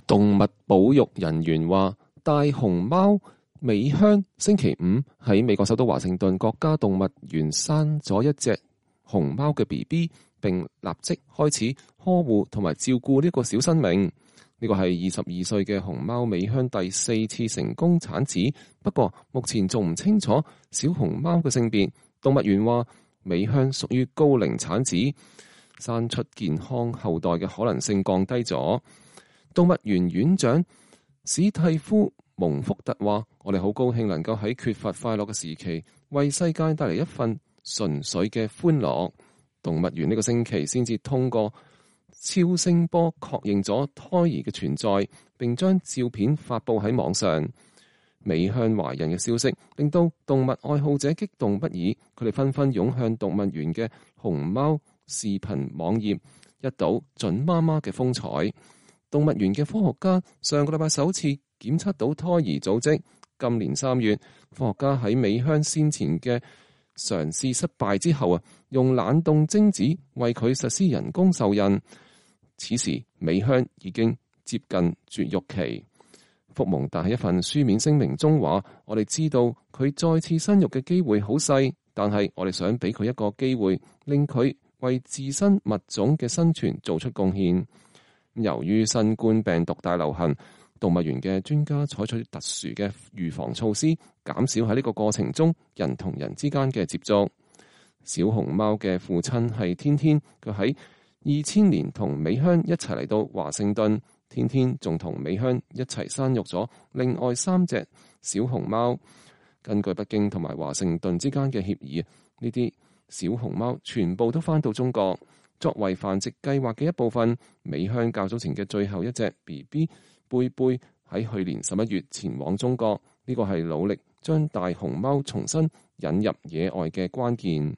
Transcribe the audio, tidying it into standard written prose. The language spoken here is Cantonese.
動物保育人員話，大熊貓美香星期五喺美國首都華盛頓國家動物園生咗一隻熊貓嘅 BB， 並立即開始呵護同埋照顧呢個小生命。呢個係22歲嘅熊貓美香第4次成功產子，不過目前仲唔清楚小熊貓嘅性別。動物園話，美香屬於高齡產子，生出健康後代嘅可能性降低咗。動物園園長史蒂夫蒙福特話，我哋好高興能夠喺缺乏快樂嘅時期為世界帶嚟一份純粹嘅歡樂。動物園呢個星期先至通過超聲波確認咗胎兒嘅存在，並將照片發佈喺網上。美香懷孕嘅消息令到動物愛好者激動不已，佢哋紛紛湧向動物園嘅熊貓視頻網頁，一睹準媽媽嘅風采。動物園嘅科學家上個禮拜首次檢測到胎兒組織。今年3月，科學家喺美香先前嘅嘗試失敗之後用冷凍精子為佢實施人工受孕。此時美香已經接近絕育期。福蒙特喺一份書面聲明中話，我哋知道佢再次生育嘅機會好細，但係我哋想俾佢一個機會，令佢為自身物種嘅生存做出貢獻。由於新冠病毒大流行，動物園嘅專家採取特殊嘅預防措施，減少喺呢個過程中人同人之間嘅接觸。小熊貓嘅父親係天天，佢喺2000年同美香一齊嚟到華盛頓。天天仲同美香一齊生育咗另外3隻小熊貓。根據北京同埋華盛頓之間嘅協議，呢啲小熊貓全部都返到中國。作為繁殖計劃嘅一部分，美香較早前嘅最後一隻 BB 貝貝喺去年11月前往中國。呢個係努力將大熊貓重新引入野外嘅關鍵。